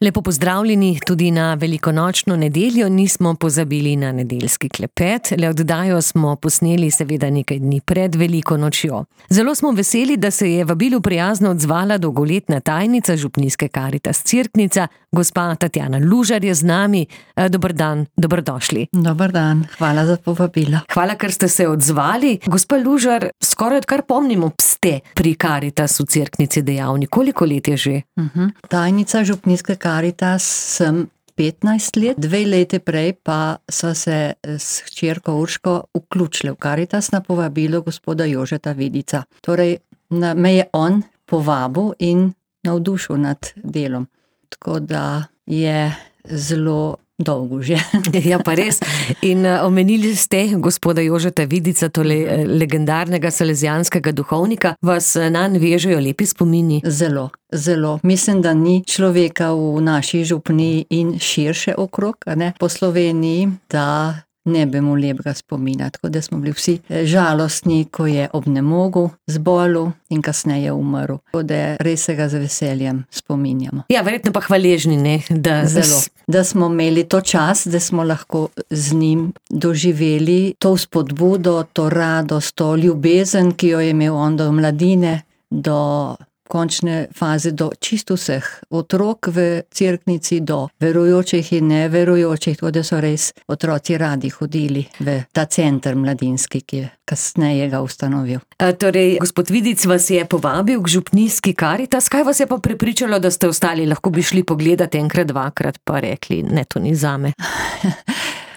Lepo pozdravljeni tudi na velikonočno nedeljo, nismo pozabili na nedeljski klepet, le oddajo smo posneli seveda nekaj dni pred veliko nočjo. Zelo smo veseli, da se je vabilu prijazno odzvala dolgoletna tajnica župnijske Karitas Cerknica, gospa Tatjana Lužar je z nami. Dober dan, dobrodošli. Dober dan, hvala za povabilo. Hvala, ker ste se odzvali. Gospa Lužar, skoraj odkar pomnimo, ste pri Karitasu Cerknici dejavni. Koliko let je že? Tajnica župnijske Karitas sem 15 let, 2 leti prej pa so se s hčerko Urško vključili v Karitas na povabilo gospoda Jožeta Vidica. Torej, me je on povabil in navdušil nad delom. Tako da je zelo dolgo že. Ja, pa res. In omenili ste gospoda Jožeta Vidica, tole legendarnega salezijanskega duhovnika. Vas nanj vežejo lepi spomini? Zelo, zelo. Mislim, da ni človeka v naši župniji in širše okrog, po Sloveniji, da ne bi mu lepega spomina. Tako da smo bili vsi žalostni, ko je obnemogel, zbolel in kasneje umrl. Tako da res se ga z veseljem spominjamo. Ja, verjetno pa hvaležni, ne? Zelo. Da smo imeli to čas, da smo lahko z njim doživeli to vzpodbudo, to radost, to ljubezen, ki jo je imel on do mladine, do končne faze, do čisto vseh otrok v Cerknici, do verujočih in neverujočih, tako da so res otroci radi hodili v ta center mladinski, ki je kasneje ga ustanovil. Torej, gospod Vidic vas je povabil k župnijski Karitas. Kaj vas je pa prepričalo, da ste ostali? Lahko bi šli pogledat enkrat, dvakrat, pa rekli, ne, to ni zame.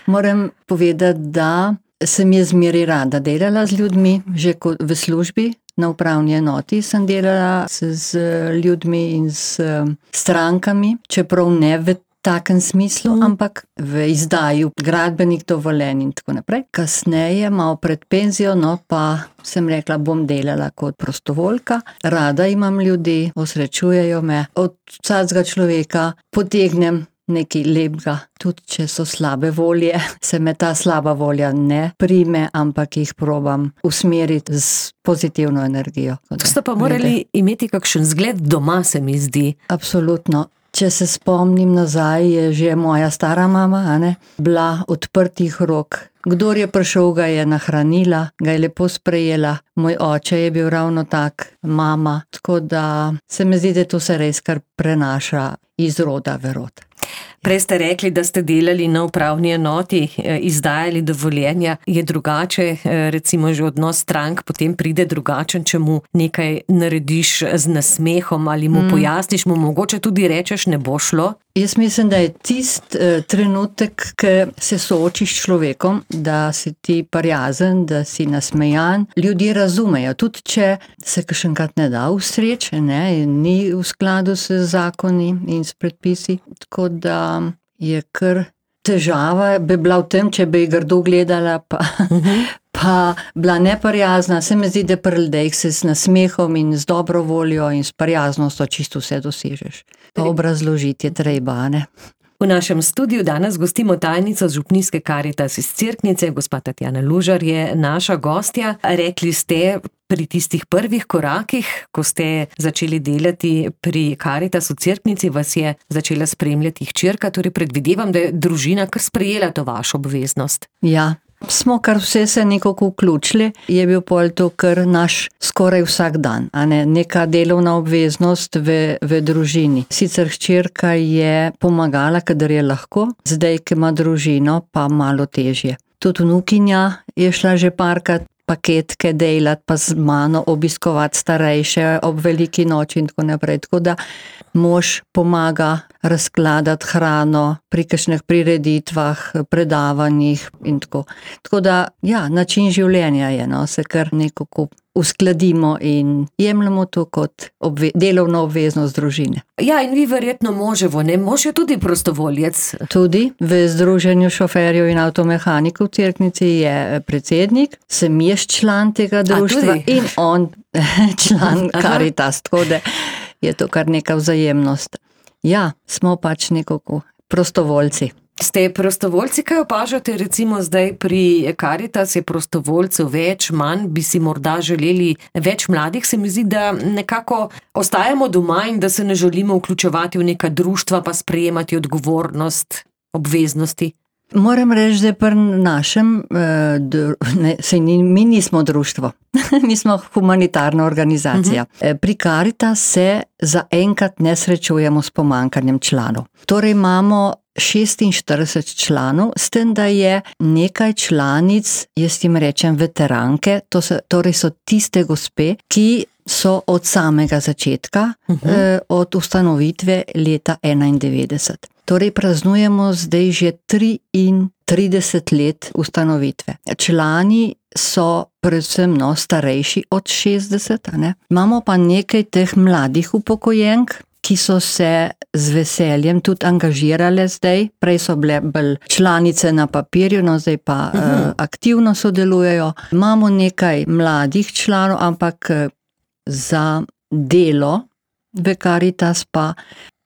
Moram povedati, da sem je zmeraj rada delala z ljudmi, že v službi. Na upravni enoti sem delala z ljudmi in s strankami, čeprav ne v takem smislu, ampak v izdaju gradbenih dovoljenj in tako naprej. Kasneje, malo pred penzijo, pa sem rekla, bom delala kot prostovoljka. Rada imam ljudi, osrečujejo me. Od vsakega človeka potegnem nekaj lepega, tudi če so slabe volje, se me ta slaba volja ne prime, ampak jih probam usmeriti z pozitivno energijo. To ste pa morali imeti kakšen zgled doma, se mi zdi. Absolutno. Če se spomnim nazaj, je že moja stara mama, bila odprtih rok. Kdor je prišel, ga je nahranila, ga je lepo sprejela. Moj oče je bil ravno tak, mama. Tako da se mi zdi, da to se res kar prenaša iz roda v rod. Prej ste rekli, da ste delali na upravni enoti, izdajali dovoljenja. Je drugače, recimo že odnos strank potem pride drugačen, če mu nekaj narediš z nasmehom ali mu pojasniš, mu mogoče tudi rečeš, ne bo šlo? Jaz mislim, da je tist trenutek, ki se soočiš s človekom, da si ti prijazen, da si nasmejan. Ljudje razumejo, tudi če se kakšenkrat ne da ustreči, ni v skladu s zakoni in s predpisi. Tako da je kar težava, bi bila v tem, če bi grdo gledala, pa bila neprijazna. Se mi zdi, da pri ljudeh se s nasmehom in z dobro voljo in s prijaznostjo čisto vse dosežeš. Pa obrazložiti je treba, V našem studiu danes gostimo tajnico župnijske Karitas iz Cerknice, gospa Tatjana Lužar je naša gostja. Rekli ste, pri tistih prvih korakih, ko ste začeli delati pri Karitasu Cerknici, vas je začela spremljati hčerka, torej predvidevam, da je družina kar sprejela to vašo obveznost. Ja. Smo kar vse se nekako vključili, je bil pol to kar naš skoraj vsak dan, neka delovna obveznost v družini. Sicer hčerka je pomagala, kadar je lahko, zdaj, ki ima družino, pa malo težje. Tudi vnukinja je šla že parkrat paketke delati, pa z mano obiskovati starejše ob veliki noči in tako naprej. Tako da mož pomaga razkladati hrano pri kakšnih prireditvah, predavanjih in tako. Tako da, ja, način življenja je, se kar nekako uskladimo in jemljemo to kot delovno obveznost družine. Ja, in vi verjetno moževo, ne? Mož je tudi prostovoljec. Tudi v Združenju šoferjev in avtomehanikov v Cerknici je predsednik, sem jaz član tega društva in on član Karitas, tako da je to kar neka vzajemnost. Ja, smo pač nekako prostovoljci. Ste prostovoljci, kaj opažate recimo zdaj pri Karitas, je prostovoljcev več, manj, bi si morda želeli več mladih, se mi zdi, da nekako ostajamo doma in da se ne želimo vključevati v neka društva pa sprejemati odgovornost, obveznosti. Moram reči, da pri našem, mi nismo društvo, mi smo humanitarna organizacija. Pri Karitas se zaenkrat ne srečujemo s pomanjkanjem članov. Torej imamo 46 članov, s tem, da je nekaj članic, jaz jim rečem veteranke, torej so tiste gospe, ki so od samega začetka, od ustanovitve leta 91. Torej praznujemo zdaj že 33 let ustanovitve. Člani so predvsem starejši od 60, ne? Imamo pa nekaj teh mladih upokojenk, ki so se z veseljem tudi angažirale zdaj. Prej so bile bolj članice na papirju, no zdaj pa aktivno sodelujejo. Imamo nekaj mladih članov, ampak za delo v Karitas pa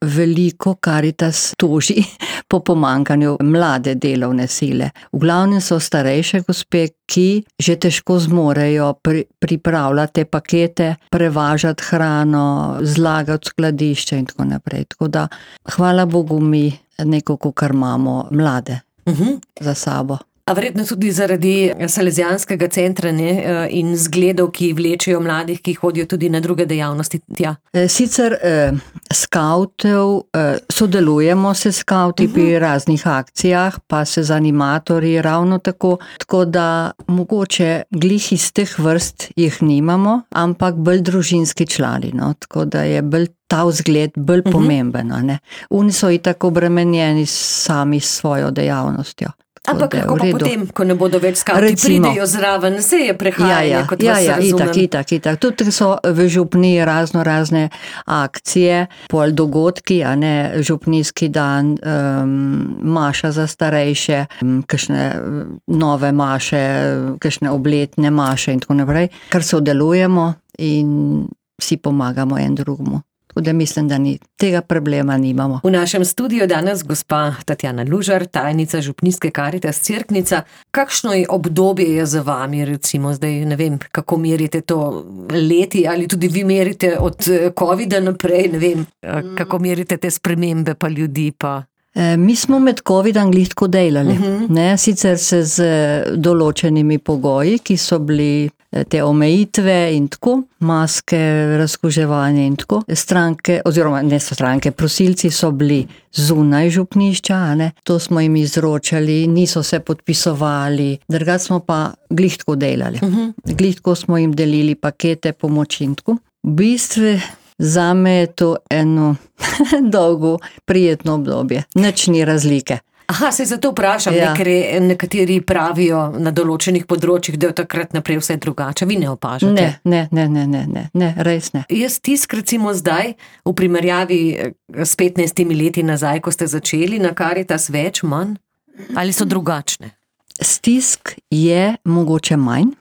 veliko Karitas toži po pomanjkanju mlade delovne sile. V glavnem so starejše gospe, ki že težko zmorejo pripravljati pakete, prevažati hrano, zlagati skladišče in tako naprej. Tako da, hvala Bogu, mi nekako kar imamo mlade za sabo. A verjetno tudi zaradi Salezijanskega centra, ne, in zgledov, ki vlečejo mladih, ki hodijo tudi na druge dejavnosti tja. Sicer skavtov, sodelujemo se skavti pri raznih akcijah, pa se z animatorji ravno tako, tako da mogoče glih iz teh vrst jih nimamo, ampak bolj družinski člani, no, tako da je bolj ta vzgled bolj pomemben, ne. Oni so itak obremenjeni sami s svojo dejavnostjo. Ampak kako pa potem, ko ne bodo več skavti, pridejo zraven, se je prehajanje, kot vas razumem. Itak. Tudi so v župniji razne akcije, pol dogodki, a ne, župnijski dan, maša za starejše, kakšne nove maše, kakšne obletne maše in tako naprej, kar sodelujemo in si pomagamo en drugemu. Da mislim, da tega problema nimamo. V našem studiu danes gospa Tatjana Lužar, tajnica župnijske Karitas Cerknica. Kakšno obdobje je za vami, recimo zdaj, ne vem, kako merite to leti, ali tudi vi merite od covida naprej, ne vem, kako merite te spremembe pa ljudi pa... Mi smo med covidom glih tako delali, ne, sicer se z določenimi pogoji, ki so bili te omejitve in tako, maske, razkuževanje in tako. Stranke, oziroma ne so stranke, prosilci so bili zunaj župnišča, ne, to smo jim izročali, niso se podpisovali, drugače smo pa glih tako delali. Glih tako smo jim delili pakete pomoči in tako. V bistvu zame je to eno dolgo, prijetno obdobje. Nič ni razlike. Aha, se zato vprašam, ker nekateri pravijo na določenih področjih, da je takrat naprej vse drugače. Vi ne opažate? Ne, res ne. Je stisk recimo zdaj, v primerjavi s 15 leti nazaj, ko ste začeli na Karitas, več, manj? Ali so drugačne? Stisk je mogoče manj,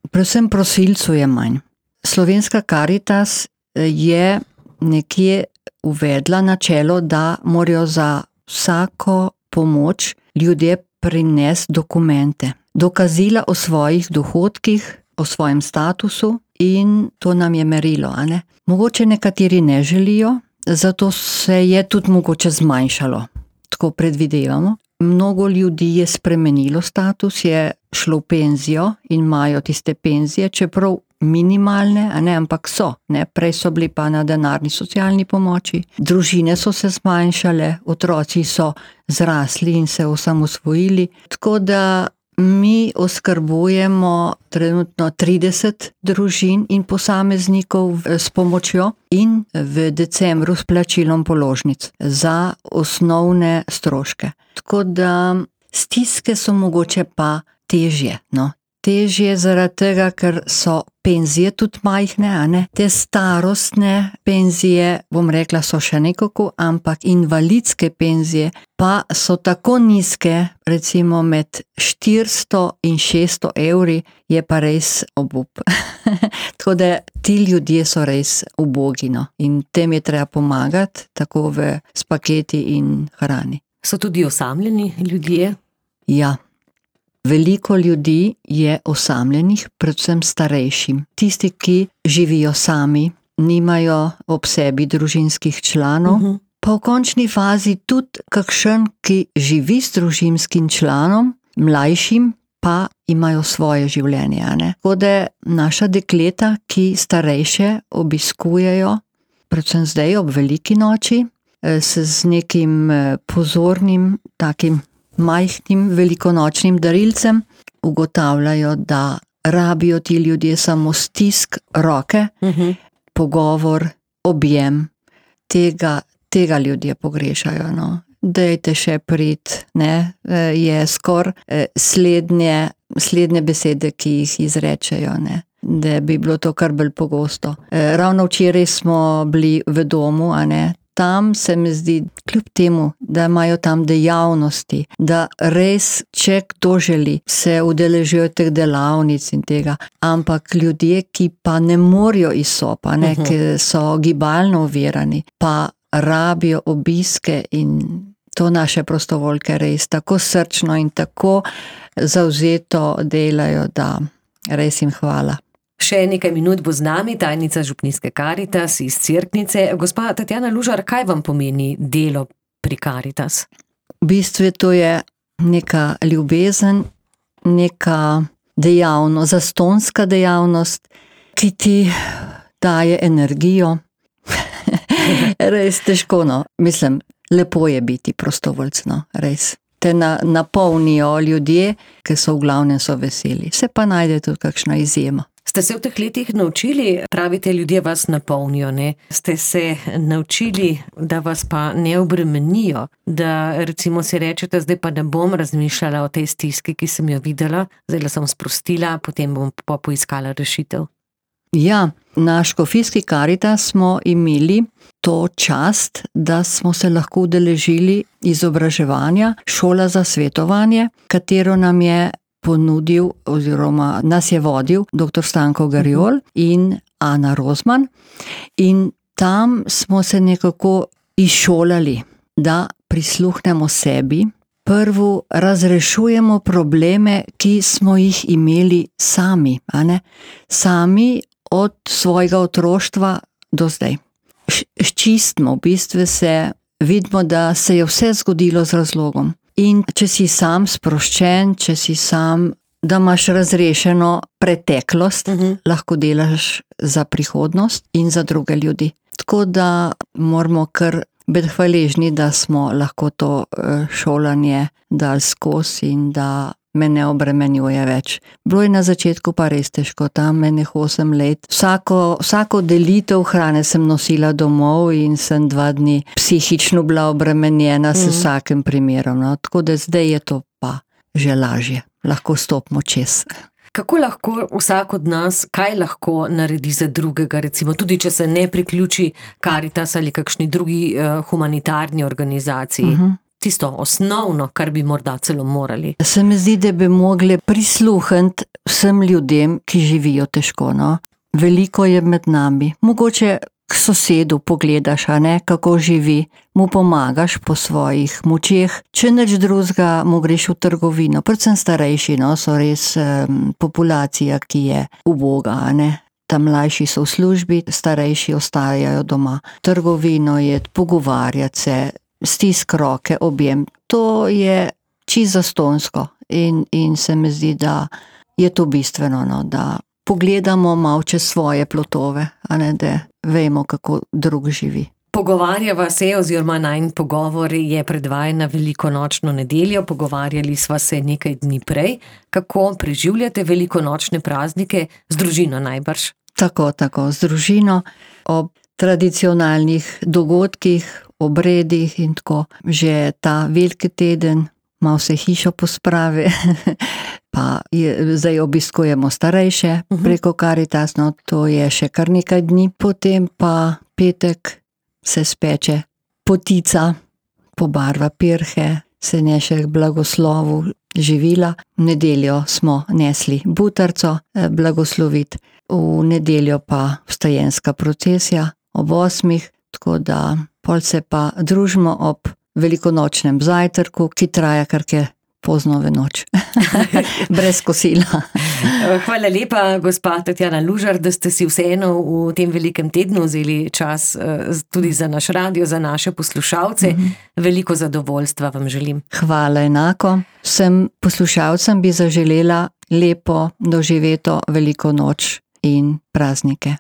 predvsem prosilcev je manj. Slovenska Karitas je nekje uvedla načelo, da morajo za vsako pomoč ljudje prinesti dokumente. Dokazila o svojih dohodkih, o svojem statusu in to nam je merilo, a ne? Mogoče nekateri ne želijo, zato se je tudi mogoče zmanjšalo. Tako predvidevamo. Mnogo ljudi je spremenilo status, je šlo v penzijo in imajo tiste penzije, čeprav minimalne, a ne, ampak so, ne, prej so bili pa na denarni socialni pomoči, družine so se zmanjšale, otroci so zrasli in se osamosvojili, tako da mi oskrbujemo trenutno 30 družin in posameznikov s pomočjo in v decembru s plačilom položnic za osnovne stroške. Tako da stiske so mogoče pa težje, no. Težje zaradi tega, ker so penzije tudi majhne, a ne? Te starostne penzije, bom rekla, so še nekako, ampak invalidske penzije pa so tako nizke, recimo med 400 in 600 evri, je pa res obup. Tako da ti ljudje so res ubogi, no? In tem je treba pomagati, tako s paketi in hrani. So tudi osamljeni ljudje? Ja. Veliko ljudi je osamljenih, predvsem starejšim. Tisti, ki živijo sami, nimajo ob sebi družinskih članov, pa v končni fazi tudi kakšen, ki živi s družinskim članom, mlajšim, pa imajo svoje življenje. Tako da naša dekleta, ki starejše obiskujejo, predvsem zdaj ob veliki noči, se z nekim pozornim, takim majhnim velikonočnim darilcem ugotavljajo, da rabijo ti ljudje samo stisk roke, pogovor, objem. Tega ljudje pogrešajo. No. Dajte še priti, je skoraj slednje besede, ki jih izrečejo, da bi bilo to kar bolj pogosto. Ravno včeraj smo bili v domu, tam se mi zdi, kljub temu, da imajo tam dejavnosti, da res, če kdo želi, se udeležijo teh delavnic in tega, ampak ljudje, ki pa ne morejo iz sob, ki so gibalno ovirani, pa rabijo obiske in to naše prostovoljke res tako srčno in tako zavzeto delajo, da res jim hvala. Še nekaj minut bo z nami tajnica Župnijske Karitas iz Cerknice. Gospa Tatjana Lužar, kaj vam pomeni delo pri Karitas? V bistvu to je neka ljubezen, neka dejavnost, zastonska dejavnost, ki ti daje energijo. Res težko, no. Mislim, lepo je biti prostovoljc, no, res. Te napolnijo ljudje, ki so v glavnem so veseli. Se pa najde tudi kakšna izjema. Ste se v teh letih naučili, pravite, ljudje vas napolnijo, Ste se naučili, da vas pa ne obremenijo, da recimo si rečete, zdaj pa ne bom razmišljala o tej stiski, ki sem jo videla, zdaj sem sprostila, potem bom pa poiskala rešitev. Ja, na Škofijski Karitas smo imeli to čast, da smo se lahko udeležili izobraževanja Šola za svetovanje, katero nam je ponudil oziroma nas je vodil dr. Stanko Garjol in Ana Rozman. In tam smo se nekako izšolali, da prisluhnemo sebi, prvo razrešujemo probleme, ki smo jih imeli sami, sami od svojega otroštva do zdaj. Sčistimo, v bistvu vidimo, da se je vse zgodilo z razlogom. In če si sam sproščen, če si sam, da imaš razrešeno preteklost, lahko delaš za prihodnost in za druge ljudi. Tako da moramo kar biti hvaležni, da smo lahko to šolanje dali skozi in da me ne obremenjuje več. Bilo je na začetku pa res težko, tam enih 8 let. Vsako delitev hrane sem nosila domov in sem 2 dni psihično bila obremenjena s vsakim primerom. No. Tako da zdaj je to pa že lažje. Lahko stopimo čez. Kako lahko vsak od nas, kaj lahko naredi za drugega, recimo tudi, če se ne priključi Karitas ali kakšni drugi humanitarni organizaciji? Tisto osnovno, kar bi morda celo morali. Se mi zdi, da bi mogli prisluhniti vsem ljudem, ki živijo težko. No? Veliko je med nami. Mogoče k sosedu pogledaš, kako živi, mu pomagaš po svojih močeh. Če nič drugega, mu greš v trgovino. Predvsem starejši, so res populacija, ki je uboga. Tam mlajši so v službi, starejši ostajajo doma. Trgovino je, pogovarjati se, stisk roke, objem. To je čisto zastonsko in se mi zdi, da je to bistveno, da pogledamo malo čez svoje plotove, da vemo, kako drug živi. Pogovarjava se oziroma najin pogovor je predvajan na velikonočno nedeljo, pogovarjali sva se nekaj dni prej. Kako preživljate velikonočne praznike z družino najbrž? Tako, z družino, ob tradicionalnih dogodkih, obredih in tako. Že ta veliki teden, malo se hišo pospravi, pa zdaj obiskujemo starejše preko Karitas, to je še kar nekaj dni. Potem pa petek se speče potica, pobarva pirhe, se neše k blagoslovu živila. V nedeljo smo nesli butarco blagosloviti, v nedeljo pa vstajenska procesija ob 8, tako da pol se pa družimo ob velikonočnem zajtrku, ki traja kar pozno v noč. Brez kosila. Hvala lepa, gospa Tatjana Lužar, da ste si vseeno v tem velikem tednu vzeli čas tudi za naš radio, za naše poslušalce. Veliko zadovoljstva vam želim. Hvala enako. Vsem poslušalcem bi zaželela lepo doživeto veliko noč in praznike.